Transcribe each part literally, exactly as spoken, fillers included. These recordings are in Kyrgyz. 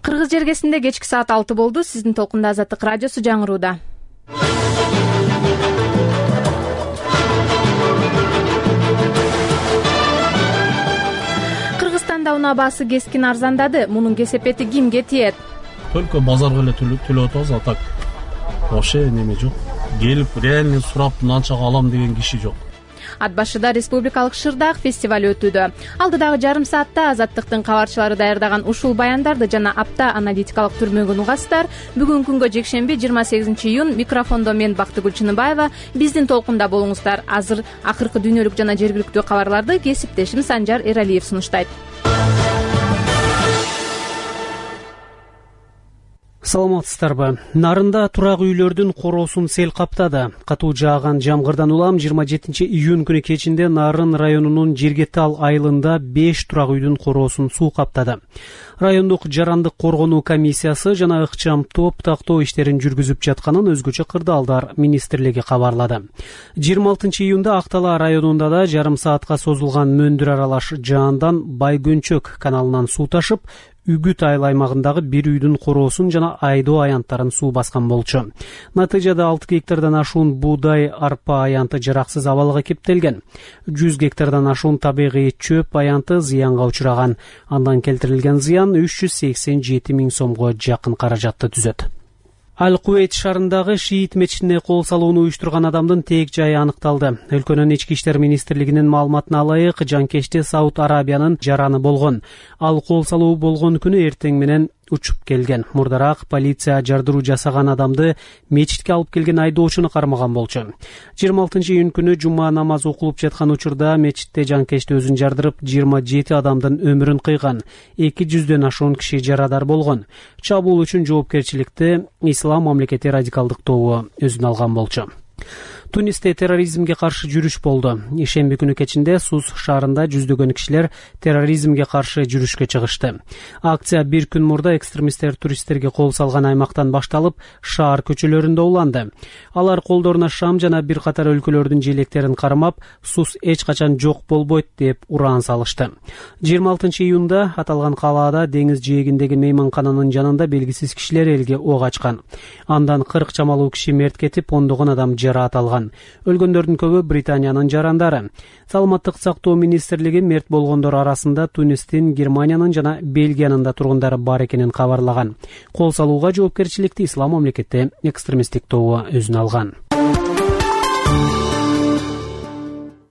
Кыргыз жергесинде кечки саат алты болду. Сиздин толкунда Азаттык радиосу жаңырууда. Кыргызстанда унаа баасы кескин арзандады. Мунун кесепети кимге тиет? Только базарга эле төлөп атабыз, а так вообще неме жок. Келип реально сурап мынанчага алам деген киши жок. Ат башыда республикалык шырдаак фестиваль өтүүдө. Алдыдагы жарым саатта Азаттыктын кабарчылары даярдаган ушул баяндарды жана апта аналитикалык түрмөгүн угасыздар. Бүгүнкү күнгө жекшемби жыйырма сегизинчи июнь микрофондо мен Бактыгүл Чыныбаева. Биздин толкунда болуңуздар. Азыр акыркы дүйнөлүк жана жергиликтүү кабарларды кесиптешим Санжар Эралиев сунуштайт. Саламатсыздарбы? Нарында турак үйлөрдүн короосун сел каптады. Катуу жааган жамгырдан улам жыйырма жетинчи июнь күнү кечинде Нарын районунун Жергетал айылында беш турак үйдүн короосун суу каптады. Райондук жарандык коргонуу комиссиясы жана ыкчам топ тактоо иштерин жүргүзүп жатканын өзгөчө кырдаалдар министрлиги кабарлады. жыйырма алтынчы июнда Актала районунда да жарым саатка созулган мөндүр аралаш жаандан Байгөнчөк каналынан суу ташып, Үгүт айыл аймагындагы бир үйдүн короосун жана айдоо аянттарын суу баскан болчу. Натыйжада алты гектардан ашуун буудай, арпа аянты жараксыз абалга кептелген. жүз гектардан ашуун табигый чөп аянты зыянга учураган. Андан келтирилген зыян үч жүз сексен жети миң сомго жакын каражатты түзөт. Аль-Куэйт шаарындагы шиит мечитине кол салууну уюштурган адамдын тээк жайы аныкталды. Өлкөнүн ички иштер министрлигинин маалыматына ылайык, жанкечте Сауд Арабиянын жараны болгон. Ал кол салуу болгон күнү эртең менен учуп келген. Мурдараак полиция жардыруу жасаган адамды мечитке алып келген айдоочуну кармаган болчу. жыйырма алтынчы июнь күнү жума намазы окулуп жаткан учурда мечитте жанкечте өзүн жардырып, жыйырма жети адамдын өмүрүн кыйган. эки жүздөн ашуун киши жарадар болгон. Чабуул үчүн жоопкерчиликти Ислам мамлекети радикалдык тобу өзүнө алган болчу. Тунисте терроризмге каршы жүрүш болду. Ишемби күнү кечинде Сус шаарында жүздөгөн кишилер терроризмге каршы жүрүшкө чыгышты. Акция бир күн мурда экстремисттер туристтерге кол салган аймактан башталып, шаар көчөлөрүндө уланды. Алар колдоруна шам жана бир катар өлкөлөрдүн желектерин кармап, Сус эч качан жок болбойт деп ураан салышты. жыйырма алтынчы июнда аталган калаада деңиз жээгиндеги мейманкананын жанында белгисиз кишилер элге ок ачкан. Андан кырк чамалуу киши мерт кетип, ондогон адам жараат алган. Өлгөндөрдүн көбү Британиянын жарандары. Саламаттык сактоо министрлиги мерт болгондор арасында Тунистин, Германиянын жана Бельгиянын да тургундары бар экенин кабарлаган. Кол салууга жоопкерчиликти Ислам мамлекети экстремисттик тобу өзүнө алган.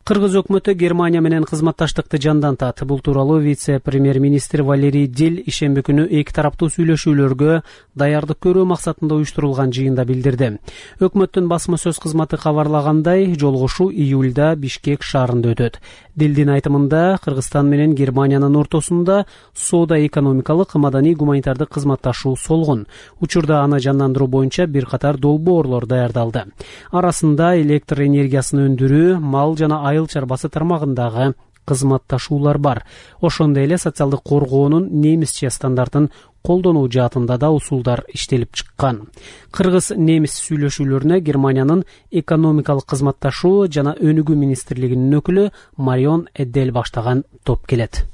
Кыргыз өкмөтү Германия менен кызматташтыкты жандантат. Бул тууралуу вице-премьер-министр Валерий Дил ишемби күнү эки тараптуу сүйлөшүүлөргө даярдык көрүү максатында уюштурулган жыйында билдирди. Өкмөттүн басма сөз кызматы кабарлагандай, жолугушуу июлда Бишкек шаарында өтөт. Дилдин айтымында, Кыргызстан менен Германиянын ортосунда соода-экономикалык, маданий, гуманитардык кызматташуу солгун. Учурда аны жандандыруу боюнча бир катар долбоорлор даярдалды. Арасында электр энергиясын өндүрүү, мал жана айыл чарбасы тармагындагы кызматташуулар бар. Ошондой эле социалдык коргоонун немисче стандартын колдонуу жаатында да усулдар иштелип чыккан. Кыргыз-немис сүйлөшүүлөрүнө Германиянын экономикалык кызматташуу жана өнүгүү министрлигинин өкүлү Марион Эддел баштаган топ келет.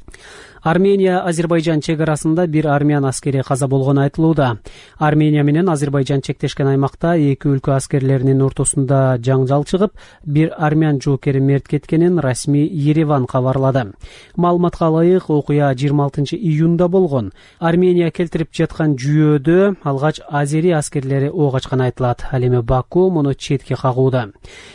Армения-Азербайжан чегарасында бир армян аскери каза болгону айтылууда. Армения менен Азербайжан чектешкен аймакта эки өлкө аскерлеринин ортосунда жаңжал чыгып, бир армян жоокери мерт кеткенин расмий Ереван кабарлады. Маалыматка ылайык, окуя жыйырма алтынчы июнда болгон. Армения келтирип жаткан жүйөөдө алгач азери аскерлери ок ачканы айтылат. Ал эми Баку муну четке кагууда.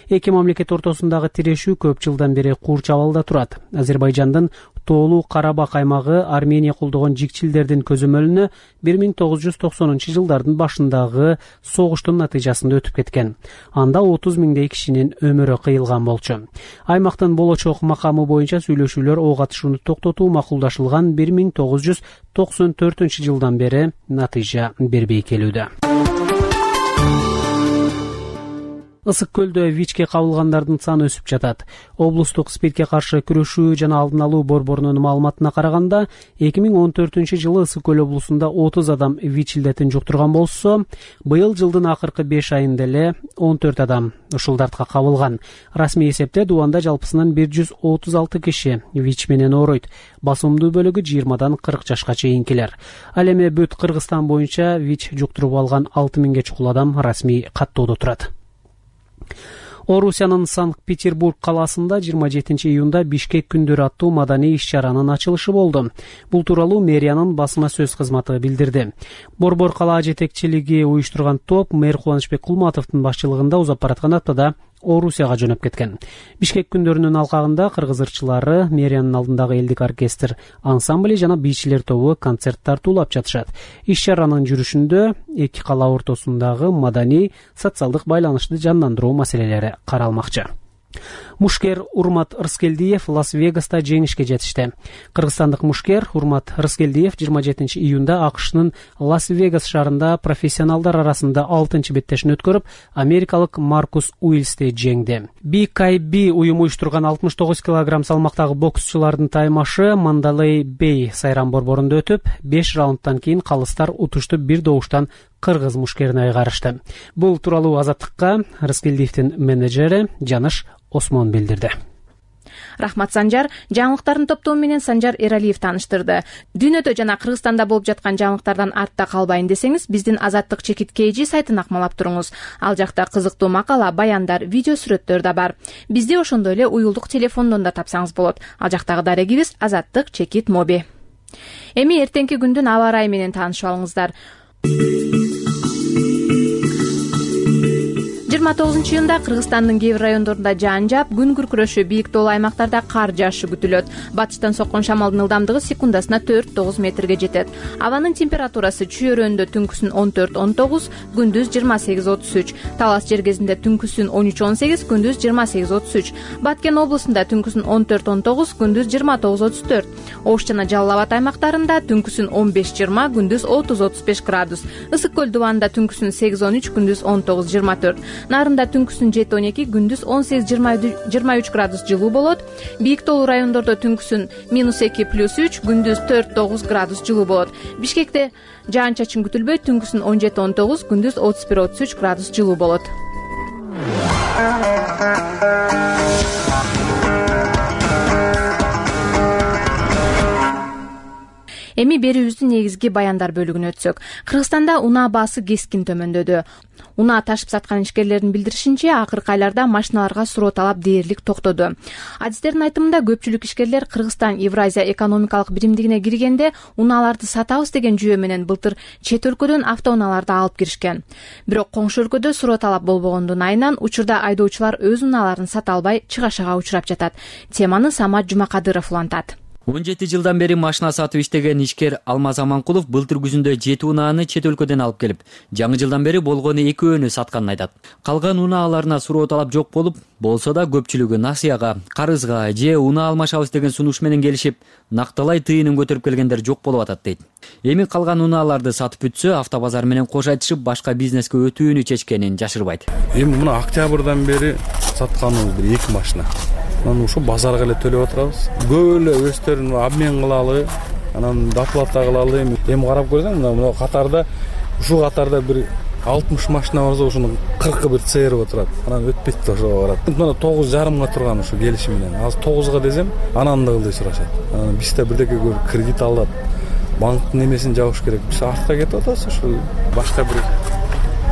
Эки мамлекет ортосундагы тирешүү көп жылдан бери курч абалда турат. Азербайжандын Тоолуу Карабак аймагы Армения колдогон жикчилдердин көзөмөлүнө бир миң тогуз жүз токсонунчу жылдардын башындагы согуштун натыйжасында өтүп кеткен. Анда отуз миңдей кишинин өмүрү кыйылган болчу. Аймактын болочок макамы боюнча сүйлөшүүлөр ок атышууну токтотуу макулдашылган бир миң тогуз жүз токсон төртүнчү жылдан бери натыйжа бербей келүүдө. Ысык көлдө ВИЧке кабылгандардын саны өсүп жатат. Облустук СПИДке каршы күрөшүү жана алдын алуу борборунун маалыматына караганда, эки миң он төртүнчү жылы Ысык көл облусунда отуз адам ВИЧ илдетин жуктурган болсо, быйыл жылдын акыркы беш айында эле он төрт адам ушул дартка кабылган. Расмий эсепте Дубанда жалпысынан бир жүз отуз алты киши ВИЧ менен ооруйт. Басымдуу бөлүгү жыйырмадан кырк жашка чейинкилер. Ал эми бүт Кыргызстан боюнча ВИЧ жуктуруп алган алты миңге чукул адам расмий каттоодо турат. Орусиянын Санкт-Петербург калаасында жыйырма жетинчи июнда Бишкек күндөрү аттуу маданий иш-чаранын ачылышы болду. Бул тууралуу мэриянын басма сөз кызматы билдирди. Борбор калаа жетекчилиги уюштурган топ мэр Кубанычбек Кулматовдун башчылыгында узап бараткан аптада Орусияга жөнөп кеткен. Бишкек күндөрүнүн алкагында кыргыз ырчылары, мэриянын алдындагы элдик оркестр ансамбли жана бийчилер тобу концерт тартуулап жатышат. Иш-чаранын жүрүшүндө эки кала ортосундагы маданий, социалдык байланышты жандандыруу маселелери каралмакчы. Мушкер Урмат Рыскелдиев Лас-Вегаста жеңишке жетишти. Кыргызстандык мушкер Урмат Рыскелдиев жыйырма жетинчи июнда АКШнын Лас-Вегас шаарында профессионалдар арасында алтынчы беттешин өткөрүп, америкалык Маркус Уилсти жеңди. би кей би уюму уюштурган алтымыш тогуз килограмм салмактагы боксчулардын таймашы Мандалей Бей сайран борборунда өтүп, беш раундтан кийин калыстар утушту бир добуштан кыргыз мушкерине айгарышты. Бул тууралуу Азаттыкка Рыскелдиевдин менеджери Жаныш Осмон билдирди. Рахмат Санжар. Жаңылыктардын топтому менен Санжар Эралиев тааныштырды. Дүйнөдө жана Кыргызстанда болуп жаткан жаңылыктардан артта калбайын десеңиз, биздин Азаттык чекит kg сайтын акмалап туруңуз. Ал жакта кызыктуу макала, баяндар, видео сүрөттөр да бар. Бизди ошондой эле уюлдук телефондон да тапсаңыз болот. Ал жактагы дарегибиз Азаттык чекит моби. Эми эртеңки күндүн аба ырайы менен таанышып алыңыздар. жыйырма тогузунчу июнда Кыргызстандын кээ бир райондорунда жаан жаап, күн күркүрөшү, бийик тоолуу аймактарда кар жаашы күтүлөт. Батыштан соккон шамалдын ылдамдыгы секундасына төрт тогуз метрге жетет. Абанын температурасы чүйөрөндө түнкүсүн он төрт он тогуз, күндүз жыйырма сегиз отуз үч. Талас жергезинде түнкүсүн он үч он сегиз, күндүз жыйырма сегиз отуз үч. Баткен облусунда түнкүсүн он төрт он тогуз, күндүз жыйырма тогуз отуз төрт. Ош жана Жалал Абад аймактарында түнкүсүн он беш жыйырма, күндүз отуз отуз беш градус. Ысык көл Дубанда түнкүсүн сегиз он үч, күндүз он тогуз жыйырма төрт. Нарында түнкүсүн жети он эки, күндүз он сегиз жыйырма үч градус жылуу болот. Бийик тоолуу райондордо түнкүсүн минус эки плюс үч, күндүз төрт тогуз градус жылуу болот. Бишкекте жаан чачын күтүлбөйт, түнкүсүн он жети он тогуз, күндүз отуз бир отуз үч градус жылуу болот. Эми берүүбүздүн негизги баяндар бөлүгүнө өтсөк. Кыргызстанда унаа баасы кескин төмөндөдү. Унаа ташып саткан ишкерлердин билдиришинче, акыркы айларда машиналарга суроо талап дээрлик токтоду. Адистердин айтымында көпчүлүк ишкерлер Кыргызстан Евразия экономикалык биримдигине киргенде унааларды сатабыз деген жүйө менен былтыр чет өлкөдөн автоунааларды алып киришкен. Бирок коңшу өлкөдө суроо талап болбогондун айынан учурда айдоочулар өз унааларын сата албай чыгашага учурап жатат. Теманы Самат Жумакадыров улантат. он жети жылдан бери машина сатып иштеген ишкер Алмаз Аманкулов былтыр күзүндө жети унааны чет өлкөдөн алып келип, жаңы жылдан бери болгону экөөнү сатканын айтат. Калган унааларына суроо талап жок болуп, болсо да көпчүлүгү насыяга, карызга же унаа алмашабыз деген сунуш менен келишип, накталай тыйынын көтөрүп келгендер жок болуп атат дейт. Эми калган унааларды сатып бүтсө, автобазар менен кош айтышып, башка бизнеске өтүүнү чечкенин жашырбайт. Эми мына октябрдан бери сатканыбыз бир эки машина. Анан ушу базарга эле төлөп отурабыз. Көп эле өздөрүн обмен кылалы, анан доплата кылалы. Эми карап көрсөң, мына катарда, ушу катарда бир алтымыш машина барса, ушунун кыркы бир цээрип отурат. Анан өтпөйт да ошого барат. Мына тогуз жарымга турган ушу келиши менен. Азыр тогузга десем, анан да ылдый сурашат. Анан бизде бирдеке көрүп кредит алып, банктын немесин жабыш керек. Биз артка кетип атабыз, ушу башка бир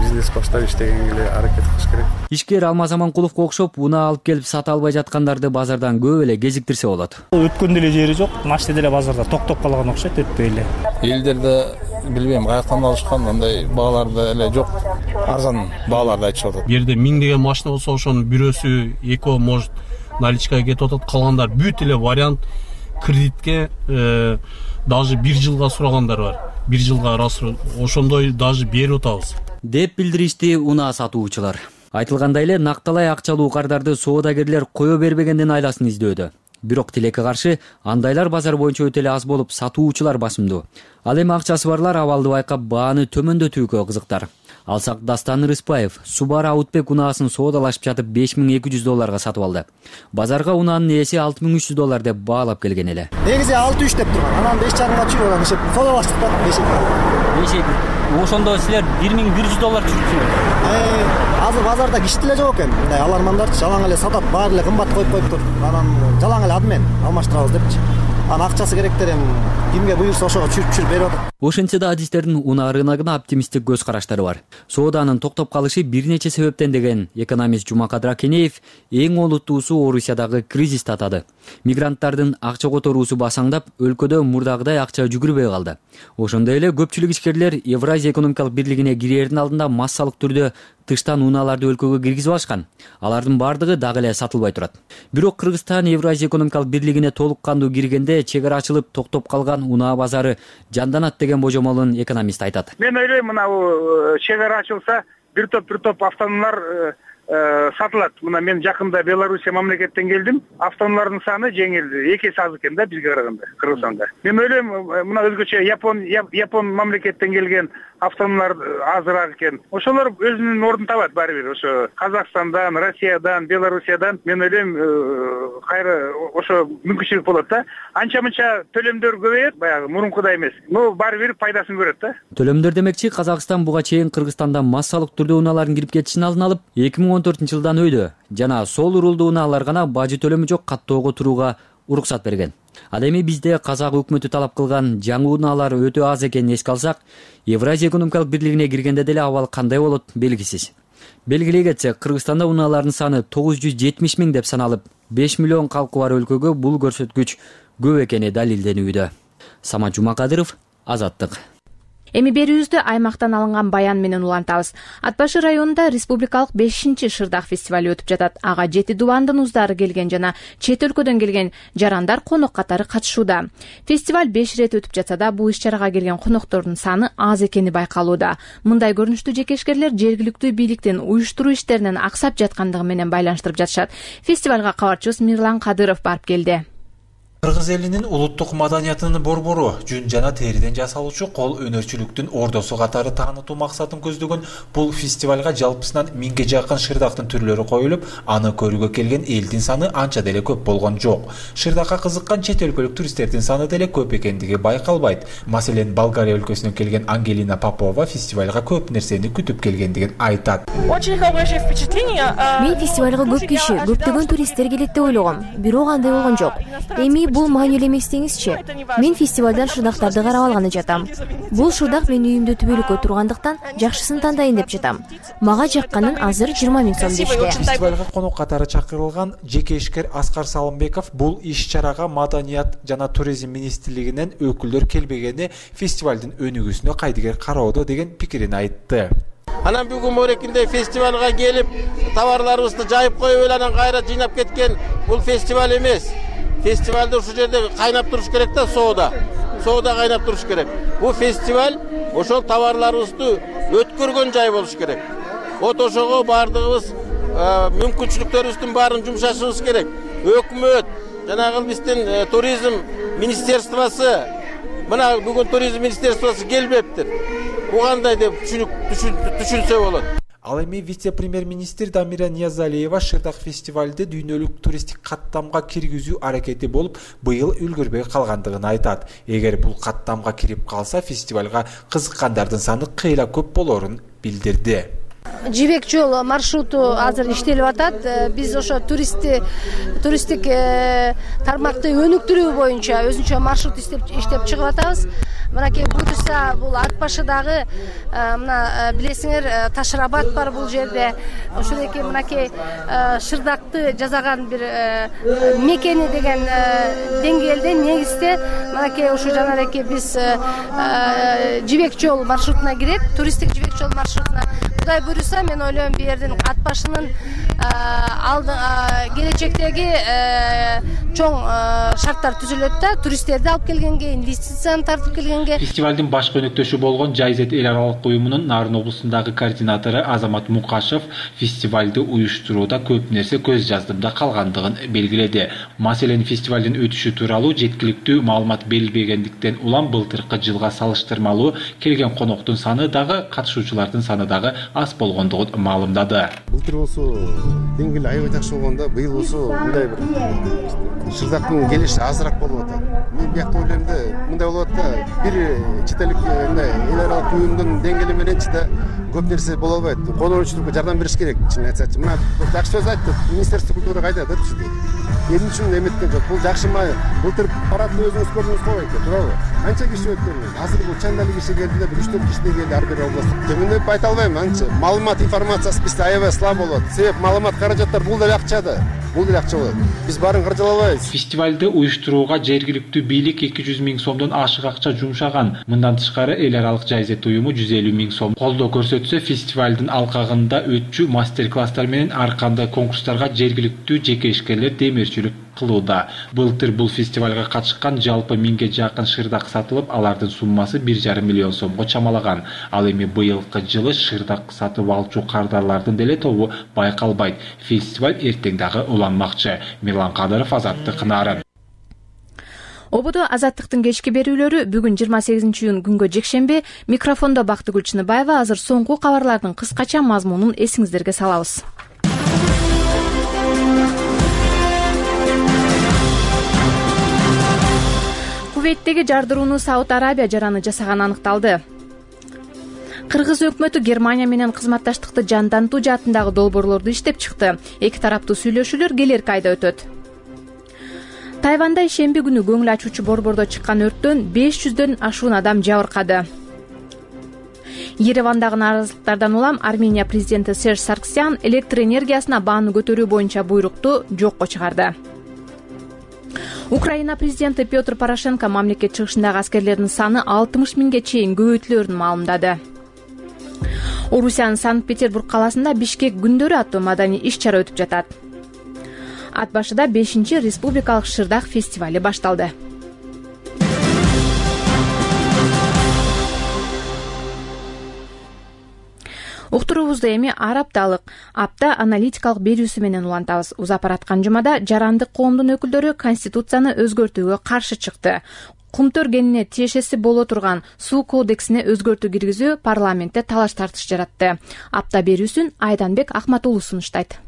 бизнес баштап иштегенге эле аракет кылыш керек. Ишкер Алмаз Аманкуловго окшоп, унаа алып келип сата албай жаткандарды базардан көп эле кезиктирсе болот. Өткөн деле жери жок, машина деле базарда токтоп калган окшойт, өтпөй эле. Элдерде билбейм, каяктан алышкан, андай бааларда эле жок. Арзан бааларды айтышып атат. Бу жерде миңдеген машина болсо, ошонун бирөөсү, экөө может наличкага кетип атат, калгандар бүт эле вариант кредитке даже бир жылга сурагандар бар. Бир жылга ошондой даже берип атабыз деп билдиришти унаа сатуучулар. Айтылгандай эле накталай акчалуу кардарды соодагерлер кое бербегендин айласын издөөдө. Бирок тилекке каршы андайлар базар боюнча өтө эле аз болуп, сатуучулар басымдуу. Ал эми акчасы барлар абалды байкап бааны төмөндөтүүгө кызыктар. Алсак Дастан Рыспаев Субара Аутбек унаасын соодалашып жатып беш миң эки жүз долларга сатып алды. Базарга унаанын ээси алты миң үч жүз доллар деп баалап келген эле. Негизи алты үч деп турган. Анан беш жарымга чыгып анан эшеп соодалаштык да беш эки. Ошондо силер бир миң бир жүз доллар чүрүпсүңөр. Азыр базарда киши деле жок экен. Мындай алармандар жалаң эле сатат, баары эле кымбат коюп коюптур. Анан жалаң эле адмен алмаштырабыз депчи. Анан акчасы керектер эми кимге буйрса ошого чүрүп-чүрүп берип атат. Ошентсе да адистердин унаа рыногуна оптимисттик көз караштары бар. Сооданын токтоп калышы бир нече себептен деген экономист Жумакадыр Акенеев эң олуттуусу Орусиядагы кризисти атады. Мигранттардын акча которуусу басаңдап, өлкөдө мурдагыдай акча жүгүрбөй калды. Ошондой эле көпчүлүк ишкерлер Евразия экономикалык бирлигине кирердин алдында массалык түрдө тыштан унааларды өлкөгө киргизип алышкан. Алардын бардыгы дагы эле сатылбай турат. Бирок Кыргызстан Евразия экономикалык бирлигине толук кандуу киргенде чек ара ачылып токтоп калган унаа базары жанданат деген божомолун экономист айтат. Мен ойлойм, мына чек ара ачылса бир топ бир топ автономдор сатылат. Мына мен жакында Белоруссия мамлекеттен келдим. Автономдордун саны жеңилди. Эки эсе аз экен да бизге караганда, Кыргызстанда. Мен ойлойм, мына өзгөчө Япон Япон мамлекеттен келген автономдор азыраак экен. Ошолор өзүнүн ордун табат баары бир. Ошо Казакстандан, Россиядан, Белоруссиядан мен ойлойм, кайра ошо мүмкүнчүлүк болот да. Анча-мынча төлөмдөр көбөйөт, баягы мурункудай эмес. Но баары бир пайдасын көрөт да. Төлөмдөр демекчи, Казакстан буга чейин Кыргызстандан массалык түрдө унаалардын кирип кетишин алдын алып, эки миң он төртүнчү жылдан өйдө жана сол урулдуу унаалар гана бажы төлөмү жок каттоого турууга уруксат берген. Ал эми бизде казак өкмөтү талап кылган жаңы унаалар өтө аз экенин эске алсак, Евразия экономикалык бирлигине киргенде деле абал кандай болот белгисиз. Белгилей кетсек, Кыргызстанда унаалардын саны тогуз жүз жетимиш миң деп саналып, беш миллион калкы бар өлкөгө бул көрсөткүч көп экени далилденүүдө. Самат Жумакадыров, Азаттык. Эми берүүбүздү аймактан алынган баян менен улантабыз. Ат башы районунда республикалык бешинчи шырдак фестивалю өтүп жатат. Ага жети дубандын уздары келген жана чет өлкөдөн келген жарандар конок катары катышууда. Фестиваль беш ирет өтүп жатса да, бул иш-чарага келген коноктордун саны аз экени байкалууда. Мындай көрүнүштү жекешкерлер жергиликтүү бийликтин уюштуруу иштеринен аксап жаткандыгы менен байланыштырып жатышат. Фестивалга кабарчыбыз Мирлан Кадыров барып келди. Кыргыз элинин улуттук маданиятынын борбору жүн жана териден жасалуучу кол өнөрчүлүктүн ордосу катары таанытуу максатын көздөгөн бул фестивалга жалпысынан миңге жакын шырдактын түрлөрү коюлуп, аны көрүүгө келген элдин саны анча деле көп болгон жок. Шырдакка кызыккан чет өлкөлүк туристтердин саны деле көп экендиги байкалбайт. Маселен, Болгария өлкөсүнөн келген Ангелина Попова фестивалга көп нерсени күтүп келгендигин айтат. Мен фестивалга көп киши, көптөгөн туристтер келет деп ойлогом. Бирок андай болгон жок. Эми бул маанилүү эмес деңизчи. Мен фестивалдан шырдактарды карап алганы жатам. Бул шырдак менин үйүмдө түбөлүккө тургандыктан жакшысын тандайын деп жатам. Мага жакканын азыр жыйырма миң сом дешти. Фестивалга конок катары чакырылган жеке ишкер Аскар Салымбеков бул иш-чарага маданият жана туризм министрлигинен өкүлдөр келбегени фестивалдын өнүгүүсүнө кайдыгер кароодо деген пикирин айтты. Анан бүгүн морекинде фестивалга келип, товарларыбызды жайып коюп эле анан кайра жыйнап кеткен бул фестиваль эмес. Фестивалда ушул жерде кайнап туруш керек да, соода. Соода кайнап туруш керек. Бул фестиваль ошол товарларыбызды өткөргөн жай болуш керек. Вот ошого бардыгыбыз мүмкүнчүлүктөрүбүздүн баарын жумшашыбыз керек. Өкмөт, жанагы биздин туризм министерствосы, мына бүгүн туризм министерствосы келбептир. Бу кандай деп түшүнсө болот. Ал эми вице-премьер-министр Дамира Ниязалиева шырдак фестивалды дүйнөлүк туристик каттамга киргизүү аракети болуп, быйыл үлгүрбөй калгандыгын айтат. Эгер бул каттамга кирип калса, фестивалга кызыккандардын саны кыйла көп болорун билдирди. Жибек жол маршруту азыр иштелип атат. Биз ошо туристти туристтик тармакты өнүктүрүү боюнча өзүнчө маршрут иштеп иштеп чыгып атабыз. Мынакей буюрса бул ат башыдагы мына билесиңер Ташрабат бар бул жерде. Ошондой мынакей шырдакты жасаган бир мекени деген деңгээлде негизде мынакей ушу жанагы биз жибек жол маршрутуна кирет, туристтик жибек жол маршрутуна. Кудай буюрса, мен ойлойм бу жердин ат башынын алды келечектеги чоң шарттар түзүлөт да, туристтерди алып келгенге, инвестицияны тартып келгенге кийинки фестивалдын башкы өнөктөшү болгон Жайзет эл аралык уюмунун Нарын облусундагы координатору Азамат Мукашев фестивалды уюштурууда көп нерсе көз жаздымда калгандыгын белгиледи. Маселен, фестивалдын өтүшү тууралуу жеткиликтүү маалымат берилбегендиктен улам былтыркы жылга салыштырмалуу келген коноктун саны дагы, катышуучулардын саны дагы аз болгондугун маалымдады. Былтыр болсо деңгээли аябай жакшы болгондо, быйыл болсо мындай бир шырдактын келиши азыраак болуп атат. Мен биякта ойлойм да, мындай болуп атат да, бир чет элдик мындай эл аралык уюмдун деңгээли мененчи да көп нерсе боло албайт. Коночулукка жардам бериш керек, чын айтсачы. Мына жакшы сөз айтты, Министерство культурага айтат да түшүдү. Эмне үчүн эметкен жок? Бул жакшы ма? Былтыр парадты өзүңүз көрдүңүз го экен, туурабы? Канча киши өткөн? Азыр бул чандали киши келди да, бир үч төрт киши келди ар бир областтын. Төмөндөп айта албайм, анча. Маалымат информациясы бизде аябай слаб болот. Себеп маалымат каражаттар бул деле акча да. Бул деле акча болот. Биз баарын каржалабайбыз. Фестивалды уюштурууга жергиликтүү бийлик эки жүз миң сомдон ашык акча жумшаган. Мындан тышкары эл аралык Жайзет уюму жүз элүү миң сом колдоо көрсөтсө, фестивалдын алкагында өтчү мастер-класстар менен ар кандай конкурстарга жергиликтүү жеке ишкерлер демирчилик кылууда. Былтыр бул фестивалга катышкан жалпы миңге жакын шырдак сатылып, алардын суммасы бир жарым миллион сомго чамалаган. Ал эми быйылкы жылы шырдак сатып алчу кардарлардын деле тобу байкалбайт. Фестиваль эртең дагы уланмакчы. Мирлан Кадыров, Азаттык, Нарын. Ободо Азаттыктын кечки берүүлөрү бүгүн жыйырма сегизинчи июнь күнгө жекшемби. Микрофондо Бактыгүл Чыныбаева. Азыр соңку кабарлардын кыскача мазмунун эсиңиздерге салабыз. Кувейттеги жардырууну Сауд Арабия жараны жасаганы аныкталды. Кыргыз өкмөтү Германия менен кызматташтыкты жандантуу жаатындагы долбоорлорду иштеп чыкты. Эки тараптуу сүйлөшүүлөр келерки айда өтөт. Тайванда ишемби күнү көңүл ачуучу борбордо чыккан өрттөн беш жүздөн ашуун адам жабыркады. Еревандагы нааразылыктардан улам Армения президенти Серж Сарксян электр энергиясына бааны көтөрүү боюнча буйрукту жокко чыгарды. Украина президенти Петр Порошенко мамлекет чыгышындагы аскерлердин саны алтымыш миңге чейин көбөйтүлөрүн маалымдады. Орусиянын Санкт-Петербург каласында Бишкек күндөрү аттуу маданий иш-чара өтүп жатат. Ат башыда бешинчи республикалык шырдак фестивали башталды. Уктуруубузду эми ар апталык апта аналитикалык берүүсү менен улантабыз. Узап бараткан жумада жарандык коомдун өкүлдөрү конституцияны өзгөртүүгө каршы чыкты. Кумтөр кенине тиешеси боло турган суу кодексине өзгөртүү киргизүү парламентте талаш тартыш жаратты. Апта берүүсүн Айданбек Акматулу сунуштайт.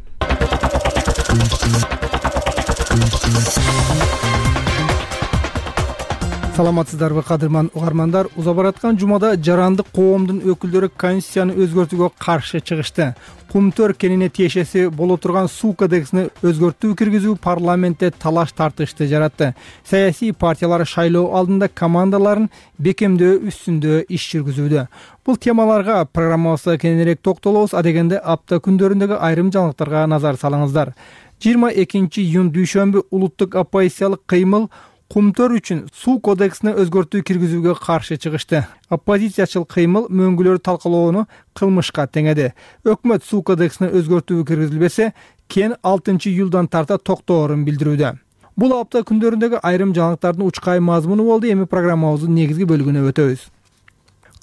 Саламатсыздарбы кадырман угармандар, узап бараткан жумада жарандык коомдун өкүлдөрү конституцияны өзгөртүүгө каршы чыгышты. Кумтөр кенине тиешеси боло турган суу кодексине өзгөртүү киргизүү парламентте талаш тартышты жаратты. Саясий партиялар шайлоо алдында командаларын бекемдөө үстүндө иш жүргүзүүдө. Бул темаларга программабызда кененирээк токтолобуз, адегенде апта күндөрүндөгү айрым жаңылыктарга назар салыңыздар. жыйырма экинчи июнь дүйшөмбү улуттук оппозициялык кыймыл Кумтөр үчүн суу кодексине өзгөртүү киргизүүгө каршы чыгышты. Оппозициячыл кыймыл мөңгүлөрү талкалоону кылмышка теңеди. Өкмөт суу кодексине өзгөртүү киргизилбесе, кен алтынчы июлдан тарта токтоорун билдирүүдө. Бул апта күндөрүндөгү айрым жаңылыктардын учкай мазмуну болду. Эми программабыздын негизги бөлүгүнө өтөбүз.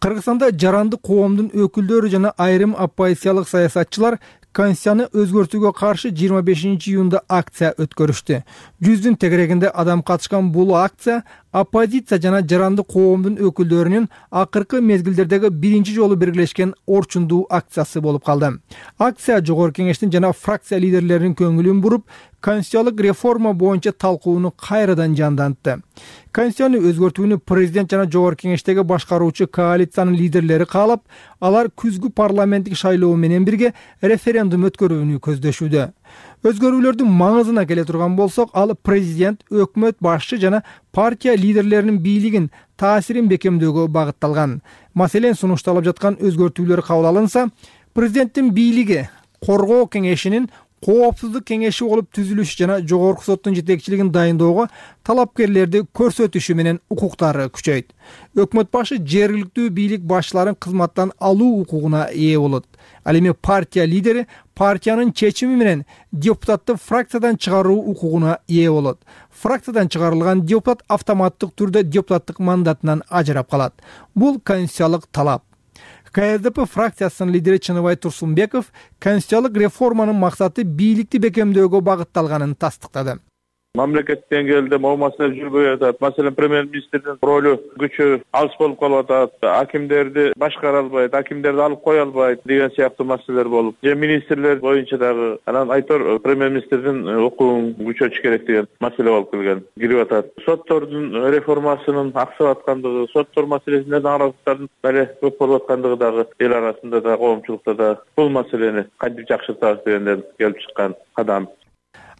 Кыргызстанда жарандык коомдун өкүлдөрү жана айрым оппозициялык саясатчылар Конституцияны өзгөртүүгө каршы жыйырма бешинчи июнда акция өткөрүштү. Жүздүн тегерегинде адам катышкан бул акция оппозиция жана жарандык коомдун өкүлдөрүнүн акыркы мезгилдердеги биринчи жолу биргелешкен орчундуу акциясы болуп калды. Акция жогорку кеңештин жана фракция лидерлеринин көңүлүн буруп, конституциялык реформа боюнча талкууну кайрадан жандантты. Конституцияны өзгөртүүнү президент жана жогорку кеңештеги башкаруучу коалициянын лидерлери каалап, алар күзгү парламенттик шайлоо менен бирге референдум өткөрүүнү көздөшүүдө. Өзгөрүүлөрдүн маңызына келе турган болсок, ал президент, өкмөт башчы жана партия лидерлеринин бийлигин, таасирин бекемдөөгө багытталган. Маселен, сунушталып жаткан өзгөртүүлөр кабыл алынса, президенттин бийлиги коргоо кеңешинин коопсуздук кеңеши болуп түзүлүшү жана жогорку соттун жетекчилигин дайындоого талапкерлерди көрсөтүшү менен укуктары күчөйт. Өкмөт башы жергиликтүү бийлик башчыларын кызматтан алуу укугуна ээ болот. Ал эми партия лидери партиянын чечими менен депутатты фракциядан чыгаруу укугуна ээ болот. Фракциядан чыгарылган депутат автоматтык түрдө депутаттык мандатынан ажырап калат. Бул конституциялык талап. ка эс дэ пэ фракциясынын лидери Чыныбай Турсунбеков конституциялык реформанын максаты бийликти бекемдөөгө багытталганын тастыктады. Мамлекет деңгээлде могу маселе жүрбөй атат. Маселен, премьер-министрдин ролу күчү алыс болуп калып атат. Акимдерди башкара албайт, акимдерди алып кое албайт деген сыяктуу маселелер болуп, же министрлер боюнча дагы анан айтор премьер-министрдин укугун күчөтүш керек деген маселе болуп келген, кирип атат. Соттордун реформасынын аксап аткандыгы, соттор маселесинде нараазылыктардын дале көп болуп аткандыгы дагы эл арасында да, коомчулукта да бул маселени кантип жакшыртабыз дегенден келип чыккан кадам.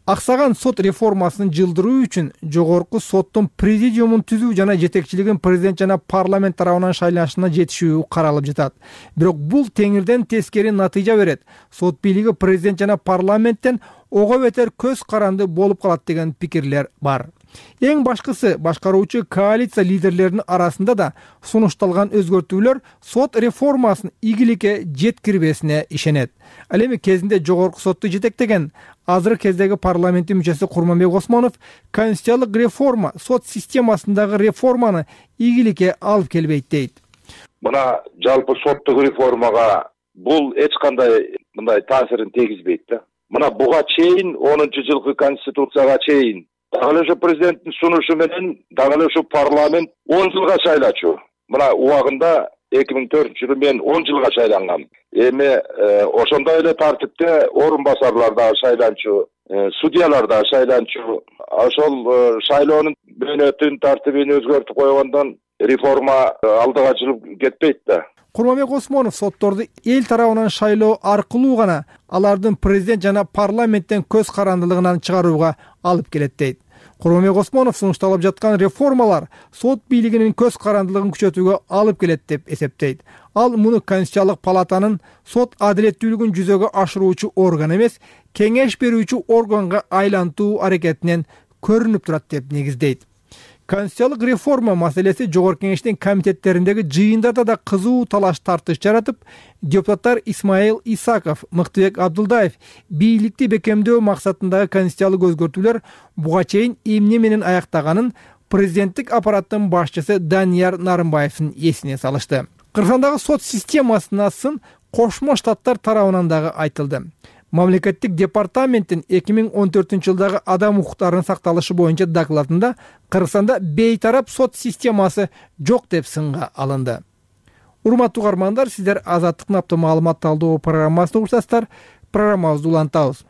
Аксаган сот реформасын жылдыруу үчүн жогорку соттун президиумун түзүү жана жетекчилигин президент жана парламент тарабынан шайланышына жетишүү каралып жатат. Бирок бул теңирден тескери натыйжа берет. Сот бийлиги президент жана парламенттен ого бетер көз каранды болуп калат деген пикирлер бар. Эң башкысы, башкаруучу коалиция лидерлеринин арасында да сунушталган өзгөртүүлөр сот реформасын ийгиликке жеткирбесине ишенет. Ал эми кезинде жогорку сотту жетектеген азыркы кездеги парламенттин мүчөсү Курманбек Осмонов конституциялык реформа сот системасындагы реформаны ийгиликке алып келбейт дейт. Мына жалпы соттук реформага бул эч кандай мындай таасирин тийгизбейт да. Мына буга чейин онунчу жылкы конституцияга чейин дагы эле ошо президенттин сунушу менен дагы эле ошо парламент он жылга шайлачу. Мына убагында эки миң төртүнчү жылы мен он жылга шайлангам. Эми ошондой эле тартипте орун басарлар да шайланчу, судьялар да шайланчу. Ошол шайлоонун мөөнөтүн, тартибин өзгөртүп койгондон реформа алдыга жылып кетпейт да. Курманбек Осмонов сотторду эл тарабынан шайлоо аркылуу гана алардын президент жана парламенттен көз карандылыгынан чыгарууга алып келет дейт. Курманбек Осмонов сунушталып жаткан реформалар сот бийлигинин көз карандылыгын күчөтүүгө алып келет деп эсептейт. Ал муну Конституциялык палатанын сот адилеттүүлүгүн жүзөгө ашыруучу орган эмес, кеңеш берүүчү органга айлантуу аракетинен көрүнүп турат деп негиздейт. Конституциялык реформа маселеси жогорку кеңештин комитеттериндеги жыйындарда да кызуу талаш тартыш жаратып, депутаттар Исмаил Исаков, Мыктыбек Абдулдаев бийликти бекемдөө максатындагы конституциялык өзгөртүүлөр буга чейин эмне менен аяктаганын президенттик аппараттын башчысы Данияр Нарымбаевдин эсине салышты. Кыргызстандагы сот системасына сын Кошмо Штаттар тарабынан дагы айтылды. Мамлекеттик департаменттин эки миң он төртүнчү жылдагы адам укуктарынын сакталышы боюнча докладында Кыргызстанда бейтарап сот системасы жок деп сынга алынды. Урматтуу угармандар, сиздер Азаттыктын апта маалымат талдоо программасына урсаздар. Программабызды улантабыз.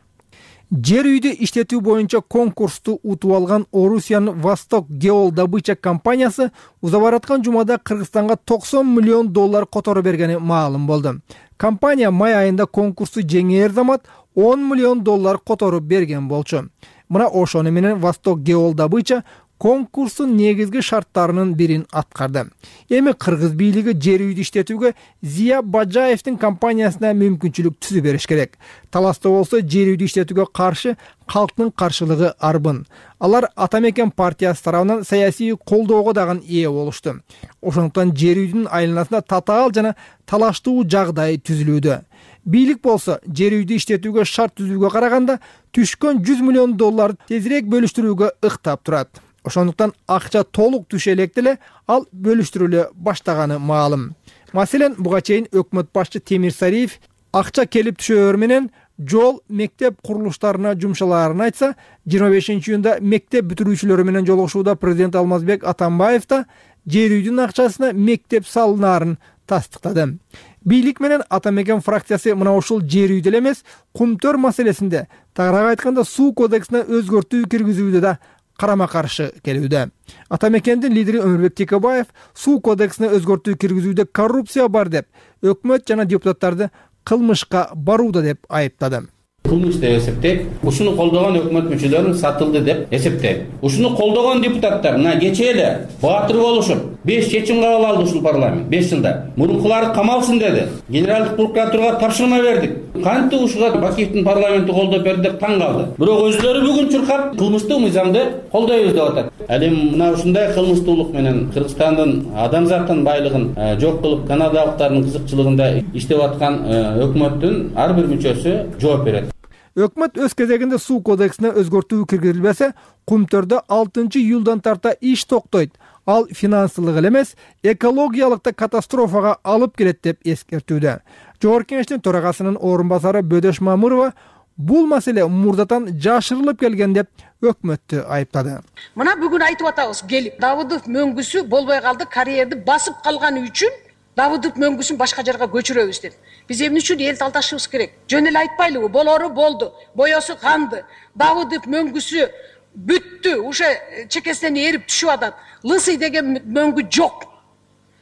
Жер үйдү иштетүү боюнча конкурсту утуп алган Орусиянын Восток Геол добыча компаниясы узабараткан жумада Кыргызстанга токсон миллион доллар которо бергени маалым болду. Компания май айында конкурсту жеңээр замат он миллион доллар которо берген болчу. Мына ошону менен Восток Геол добыча конкурстун негизги шарттарынын бирин аткарды. Эми кыргыз бийлиги жер үйдү иштетүүгө Зия Бажаевдин компаниясына мүмкүнчүлүк түзүп бериш керек. Таласта болсо жер үйдү иштетүүгө каршы калктын каршылыгы арбын. Алар Атамекен партиясы тарабынан саясий колдоого дагы ээ болушту. Ошондуктан жер үйдүн айланасында татаал жана талаштуу жагдай түзүлүүдө. Бийлик болсо жер үйдү иштетүүгө шарт түзүүгө караганда түшкөн жүз миллион доллар тезирээк бөлүштүрүүгө ыктап турат. Ошондуктан акча толук түшө элек деле ал бөлүштүрүлө баштаганы маалым. Маселен, буга чейин өкмөт башчы Темир Сариев акча келип түшөөр менен жол, мектеп курулуштарына жумшалаарын айтса, жыйырма бешинчи июнда мектеп бүтүрүүчүлөрү менен жолугушууда президент Алмазбек Атамбаев да жер үйдүн акчасына мектеп салынаарын тастыктады. Бийлик менен Атамекен фракциясы мына ушул жер үйдө эле эмес, Кумтөр маселесинде, тагыраак айтканда суу кодексине өзгөртүү киргизүүдө да карама каршы келүүдө. Атамекендин лидери Өмүрбек Текебаев суу кодексине өзгөртүү киргизүүдө коррупция бар деп, өкмөт жана депутаттарды кылмышка барууда деп айыптады. кылмыш деп эсептейт. Ушуну колдогон өкмөт мүчөлөрү сатылды деп эсептейт. Ушуну колдогон депутаттар мына кечээ эле баатыр болушуп беш чечим кабыл алды ушул парламент беш жылда. Мурункулары камалсын деди. Генералдык прокуратурага тапшырма бердик. Кантип ушуга Бакиевдин парламенти колдоп берди деп таң калды. Бирок өзлөрү бүгүн чуркап кылмыштык мыйзамды колдойбуз деп атат. Ал эми мына ушундай кылмыштуулук менен Кыргызстандын адамзаттын байлыгын жок кылып канадалыктардын кызыкчылыгында иштеп аткан өкмөттүн ар бир мүчөсү жооп берет. Өкмөт өз кезегинде суу кодексине өзгөртүү киргизилбесе, Кумтөрдө алтынчы июлдан тарта иш токтойт. Ал финансылык эле эмес, экологиялык да катастрофага алып келет деп эскертүүдө. Жогорку Кеңештин төрагасынын орун басары Бөдөш Мамырова бул маселе мурдатан жашырылып келген деп өкмөттү айыптады. Мына бүгүн айтып атабыз, келип Давыдов мөңгүсү болбой калды, карьерди басып калганы үчүн Давыдов мөңгүсүн башка жерге көчүрөбүз деп. Биз эмне үчүн эл талдашыбыз керек? Жөн эле айтпайлыбы? Болору болду, боёсу канды. Давыдов мөңгүсү бүттү, уша чекесинен эрип түшүп атат. Лысый деген мөңгү жок.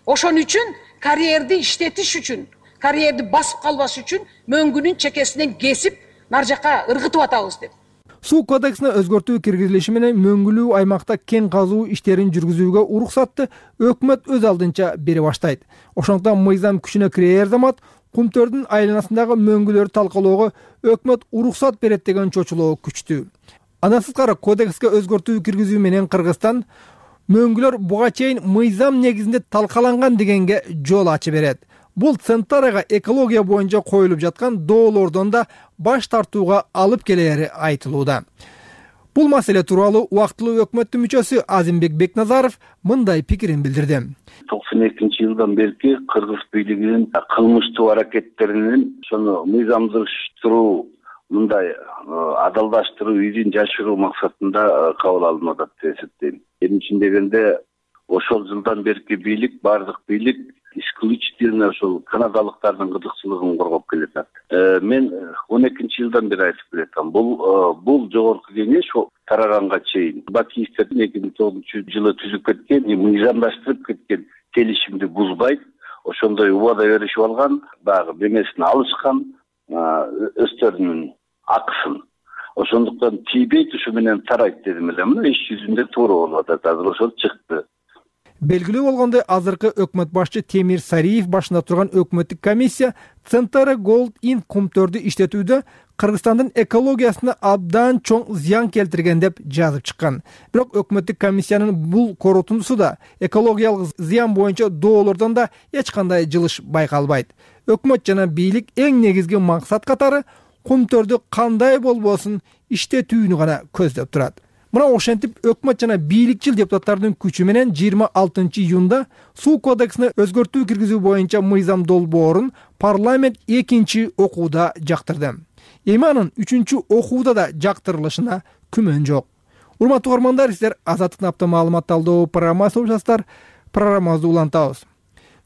Ошон үчүн карьерди иштетиш үчүн, карьерди басып калбаш үчүн мөңгүнүн чекесинен кесип нар жака ыргытып атабыз деп. Суу кодексине өзгөртүү киргизилиши менен мөңгүлүү аймакта кен казуу иштерин жүргүзүүгө уруксатты өкмөт өз алдынча бере баштайт. Ошондуктан мыйзам күчүнө кирээр замат Кумтөрдүн айланасындагы мөңгүлөрдү талкалоого өкмөт уруксат берет деген чочулоо күчтүү. Андан сырткары кодекске өзгөртүү киргизүү менен Кыргызстан мөңгүлөр буга чейин мыйзам негизинде талкаланган дегенге жол ачып берет. Бул Центарага экология боюнча коюлуп жаткан доолордон да баш тартууга алып келери айтылууда. Бул маселе тууралуу убактылуу өкмөттүн мүчөсү Азимбек Бекназаров мындай пикирин билдирди. токсон экинчи жылдан бери кыргыз бийлигинин кылмыштуу аракеттеринин ошону мыйзамдыштыруу, мындай адалдаштыруу, изин жашыруу максатында кабыл алынып атат деп эсептейм. Эмне дегенде ошол жылдан бери бийлик, бардык бийлик исключительно ошол канадалыктардын кызыкчылыгын коргоп келатат. Мен он экинчи жылдан бери айтып келатам. Бул бул жогорку кеңеш тараганга чейин Бакиевдин эки миң тогузунчу жылы түзүп кеткен, мыйзамдаштырып кеткен келишимди бузбайт. Ошондой убада беришип алган, дагы бемесин алышкан, өздөрүнүн акысын. Ошондуктан тийбейт, ушу менен тарайт дедим эле. Мына иш жүзүндө туура болуп атат. Азыр ошол чыкты. Белгилүү болгондой, азыркы өкмөт башчы Темир Сариев башында турган өкмөттүк комиссия Центара Gold Inc Кумтөрдү иштетүүдө Кыргызстандын экологиясына абдан чоң зыян келтирген деп жазып чыккан. Бирок өкмөттүк комиссиянын бул корутундусу да экологиялык зыян боюнча доолордон да эч кандай жылыш байкалбайт. Өкмөт жана бийлик эң негизги максат катары Кумтөрдү кандай болбосун иштетүүнү гана көздөп турат. Мына ошентип өкмөт жана бийликчил депутаттардын күчү менен жыйырма алтынчы июнда суу кодексине өзгөртүү киргизүү боюнча мыйзам долбоорун парламент экинчи окууда жактырды. Эми анын үчүнчү окууда да жактырылышына күмөн жок. Урматтуу угармандар, сиздер Азаттыктын апта маалымат талдоо программасы угушасыздар. Программабызды улантабыз.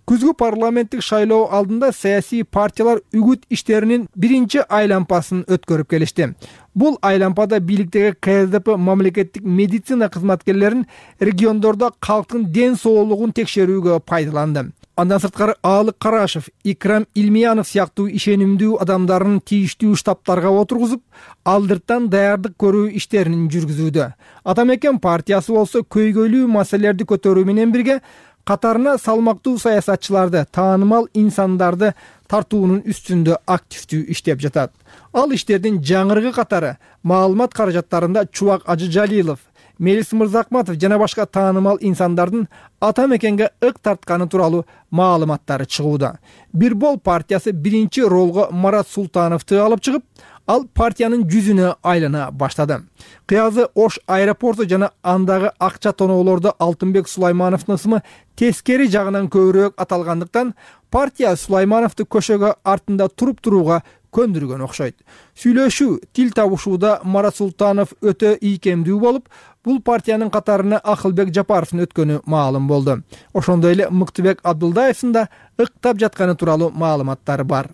Күзгү парламенттик шайлоо алдында саясий партиялар үгүт иштеринин биринчи айлампасын өткөрүп келишти. Бул айлампада бийликтеги К С Д П мамлекеттик медицина кызматкерлерин региондордо калктын ден соолугун текшерүүгө пайдаланды. Андан сырткары Аалык Карашев, Икрам Илмиянов сыяктуу ишенимдүү адамдарын тийиштүү штабтарга отургузуп, алдыртан даярдык көрүү иштерин жүргүзүүдө. Атамекен партиясы болсо көйгөйлүү маселелерди көтөрүү менен бирге катарына салмактуу саясатчыларды, таанымал инсандарды тартуунун үстүндө активдүү иштеп жатат. Ал иштердин жаңырыгы катары маалымат каражаттарында Чубак Ажыжалилов, Мелис Мырзакматов жана башка таанымал инсандардын Атамекенге ык тартканы тууралуу маалыматтары чыгууда. Бирбол партиясы биринчи ролго Марат Султановду алып чыгып, ал партиянын жүзүнө айлана баштады. Кыязы Ош аэропорту жана андагы акча тоноолордо Алтынбек Сулаймановдун ысымы тескери жагынан көбүрөөк аталгандыктан партия Сулаймановду көшөгө артында туруп турууга көндүргөн окшойт. Сүйлөшүү, тил табышууда Марат Султанов өтө ийкемдүү болуп, бул партиянын катарына Акылбек Жапаровдун өткөнү маалым болду. Ошондой эле Мыктыбек Абдылдаевдин да ыктап жатканы тууралуу маалыматтар бар.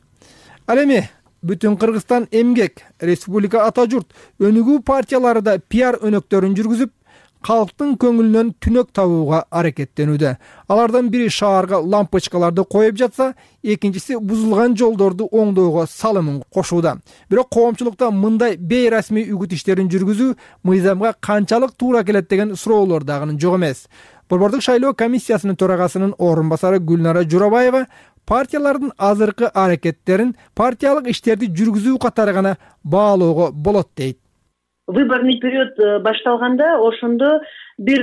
Ал эми Бүтүн Кыргызстан эмгек, Республика Ата журт, өнүгүү партиялары да пиар өнөктөрүн жүргүзүп, калктын көңүлүнөн түнөк табууга аракеттенүүдө. Алардан бири шаарга лампочкаларды коюп жатса, экинчиси бузулган жолдорду оңдоого салымын кошууда. Бирок коомчулукта мындай бейрасмий үгүт иштерин жүргүзүү мыйзамга канчалык туура келет деген суроолор дагы жок эмес. Борбордук шайлоо комиссиясынын төрагасынын орун басары Гүлнара Журабаева партиялардын азыркы аракеттерин партиялык иштерди жүргүзүү катары гана баалоого болот дейт. Выборный период башталганда ошондо бир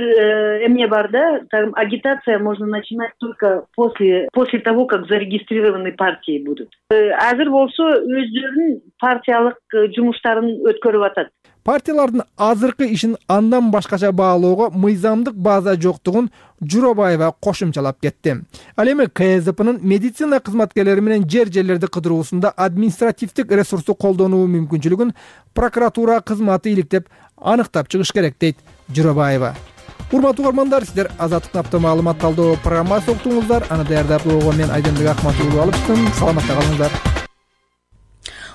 эмне бар да, агитация можно начинать только после после того, как зарегистрированы партии будут. Азыр болсо өздөрүнүн партиялык жумуштарын өткөрүп атат. Партиялардын азыркы ишин андан башкача баалоого мыйзамдык база жоктугун Журабаева кошумчалап кетти. Ал эми КСДПнын медицина кызматкерлери менен жер жерлерди кыдыруусунда административдик ресурсту колдонуу мүмкүнчүлүгүн прокуратура кызматы иликтеп аныктап чыгыш керек дейт Журабаева. Урматтуу угармандар, сиздер Азаттыктын апта маалымат талдоо программасын уктуңуздар. Аны даярдап болгон мен Айденбек Акматулов алыптым. Саламатта калыңыздар.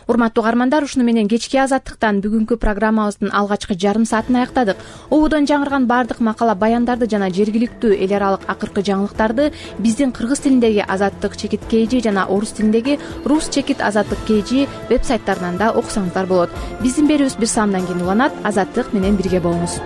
Урматтуу угармандар, ушуну менен кечки Азаттыктан бүгүнкү программабыздын алгачкы жарым саатын аяктадык. Ободон жаңырган бардык макала баяндарды жана жергиликтүү эл аралык акыркы жаңылыктарды биздин кыргыз тилиндеги Азаттык чекит kg жана орус тилиндеги Рус чекит Азаттык kg веб сайттарынан да окусаңыздар болот. Биздин берүүбүз бир саамдан кийин уланат. Азаттык менен бирге болуңуз.